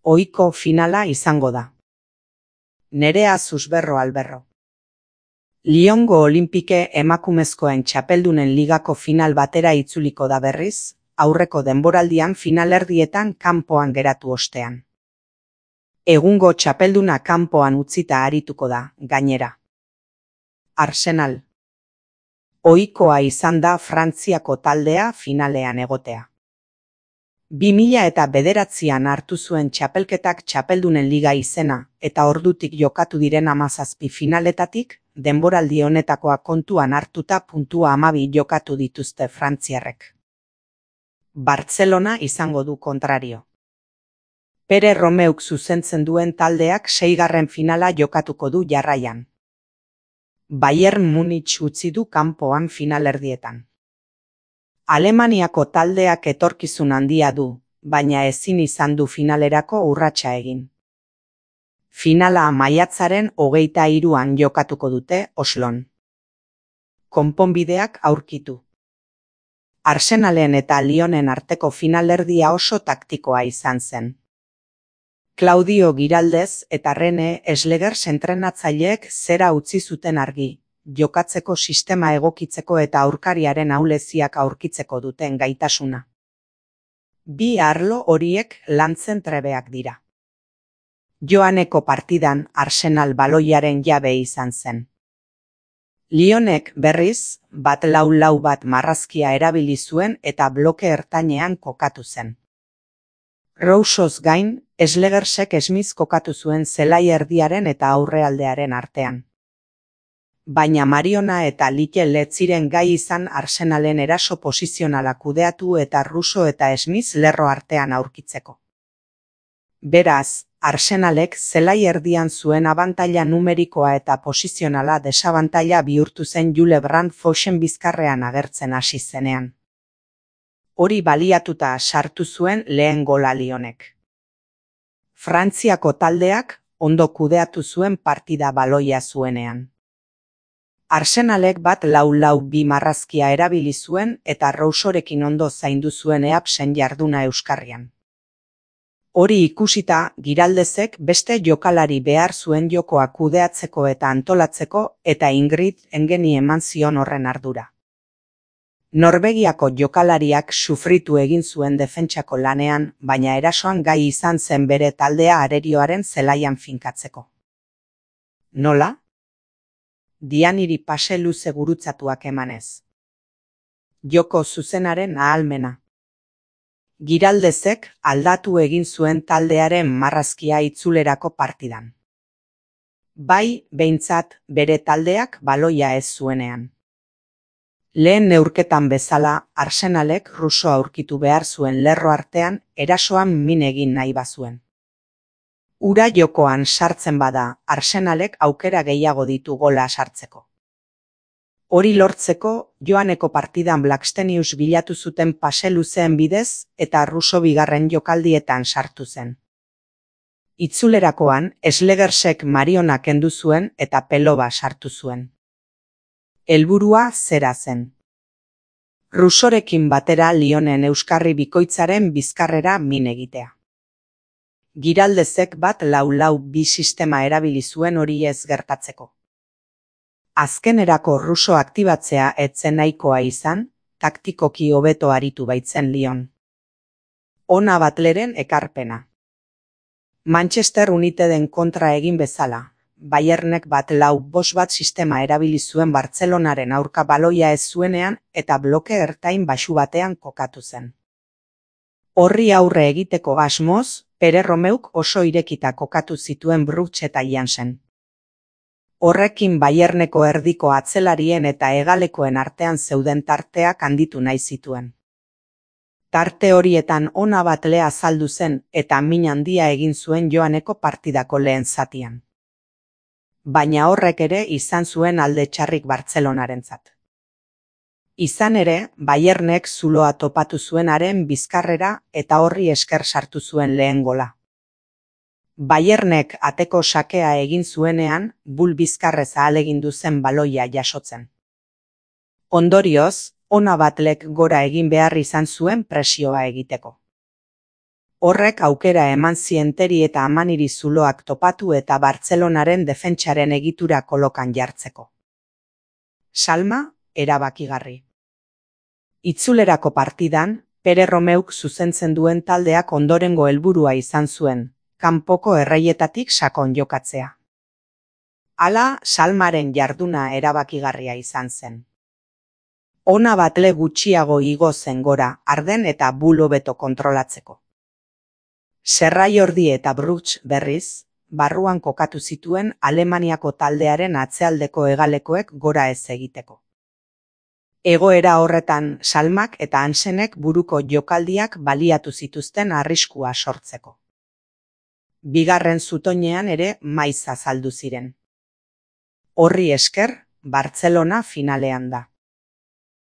ohiko finala izango da. Nerea Susberro Alberro. Lyongo Olinpike emakumezkoen txapeldunen ligako final batera itzuliko da berriz, aurreko denboraldian finalerdietan kanpoan geratu ostean. Egungo txapelduna kanpoan utzita arituko da, gainera. Arsenal. Ohikoa izan da Frantziako taldea finalean egotea. 2009an hartu zuen txapelketak txapeldunen liga izena, eta ordutik jokatu diren 17 finaletatik, denboraldi honetakoa kontuan hartuta puntua 12 jokatu dituzte frantziarrek. Bartzelona izango du kontrario. Pere Romeuk zuzentzen duen taldeak 6. finala jokatuko du jarraian. Bayern Munich utzi du kanpoan finalerdietan. Alemaniako taldeak etorkizun handia du, baina ezin izan du finalerako urratsa egin. Finala maiatzaren 23an jokatuko dute Oslon. Konponbideak aurkitu. Arsenalen eta Lyonen arteko finalerdia oso taktikoa izan zen. Claudio Giraldez eta Rene Eslegers entrenatzaileek zera utzi zuten argi, jokatzeko sistema egokitzeko eta aurkariaren ahuleziak aurkitzeko duten gaitasuna. Bi arlo horiek lantzen trebeak dira. Joaneko partidan Arsenal baloiaren jabe izan zen. Lyonek berriz, 4-4-4 bat marrazkia erabili zuen eta bloke ertainean kokatu zen. Rousos gain, Eslegersek Smith kokatu zuen zelai erdiaren eta aurrealdearen artean. Baina Mariona eta Likel ez ziren gai izan Arsenalen eraso posizionala kudeatu eta Russo eta Smith lerro artean aurkitzeko. Beraz, Arsenalek zelai erdian zuen abantaila numerikoa eta posizionala desabantaila bihurtu zen Jules Brandt Fochen bizkarrean agertzen hasi zenean. Hori baliatuta sartu zuen lehen gola Lyonek. Frantziako taldeak ondo kudeatu zuen partida baloia zuenean. Arsenalek 4-4-2 marrazkia erabili zuen eta Roussorekin ondo zaindu zuen Eapsen jarduna euskarrian. Hori ikusita, Giraldezek beste jokalari behar zuen jokoa kudeatzeko eta antolatzeko eta Ingrid Engeni eman zion horren ardura. Norvegiako jokalariak sufritu egin zuen defentsako lanean, baina erasoan gai izan zen bere taldea arerioaren zelaian finkatzeko. Nola? Dianiri pase luze gurutzatuak emanez. Joko zuzenaren ahalmena. Giraldezek aldatu egin zuen taldearen marrazkia itzulerako partidan. Bai, behintzat, bere taldeak baloia ez zuenean. Lehen neurketan bezala, Arsenalek Russo aurkitu behar zuen lerro artean erasoan min egin nahi bazuen. Ura jokoan sartzen bada, Arsenalek aukera gehiago ditu gola sartzeko. Hori lortzeko, joaneko partidan Blackstenius bilatu zuten pase luzeen bidez eta Russo bigarren jokaldietan sartu zen. Itzulerakoan, Eslegersek Mariona kendu zuen eta Peloba sartu zuen. Helburua zera zen. Russorekin batera Lyonen euskarri bikoitzaren bizkarrera min egitea. Giraldezek 4-4-2 sistema erabili zuen hori ez gertatzeko. Azkenerako Russo aktibatzea ez zen nahikoa izan, taktikoki hobeto aritu baitzen Lyon. Ona Butleren ekarpena. Manchester Uniteden kontra egin bezala, Bayernek 4-4-2 bat sistema erabili zuen Bartzelonaren aurka baloia ez zuenean eta bloke ertain baxu batean kokatu zen. Horri aurre egiteko asmoz, Pere Romeuk oso irekita kokatu zituen Brugge eta Jansen. Horrekin Bayerneko erdiko atzelarien eta hegalekoen artean zeuden tarteak handitu nahi zituen. Tarte horietan Ona Butle azaldu zen eta min handia egin zuen joaneko partidako lehen zatian. Baina horrek ere izan zuen alde txarrik Bartzelonarentzat. Izan ere, Bayernek zuloa topatu zuenaren bizkarrera eta horri esker sartu zuen lehen gola. Bayernek ateko sakea egin zuenean, Bull bizkarrez ahalegindu zen baloia jasotzen. Ondorioz, Ona Butlek gora egin behar izan zuen presioa egiteko. Horrek aukera eman zien Teri eta Amaniri zuloak topatu eta Bartzelonaren defentsaren egitura kolokan jartzeko. Salma, erabakigarri. Itzulerako partidan, Pere Romeuk zuzentzen duen taldeak ondorengo helburua izan zuen, kanpoko erreietatik sakon jokatzea. Hala, Salmaren jarduna erabakigarria izan zen. Ona batle gutxiago igo zen gora, Arden eta Bul hobeto kontrolatzeko. Serraiordi eta Brugge berriz, barruan kokatu zituen Alemaniako taldearen atzealdeko hegalekoek gora ez egiteko. Egoera horretan Salmak eta Hansenek buruko jokaldiak baliatu zituzten arriskua sortzeko. Bigarren zutoinean ere maiz azaldu ziren. Horri esker, Bartzelona finalean da.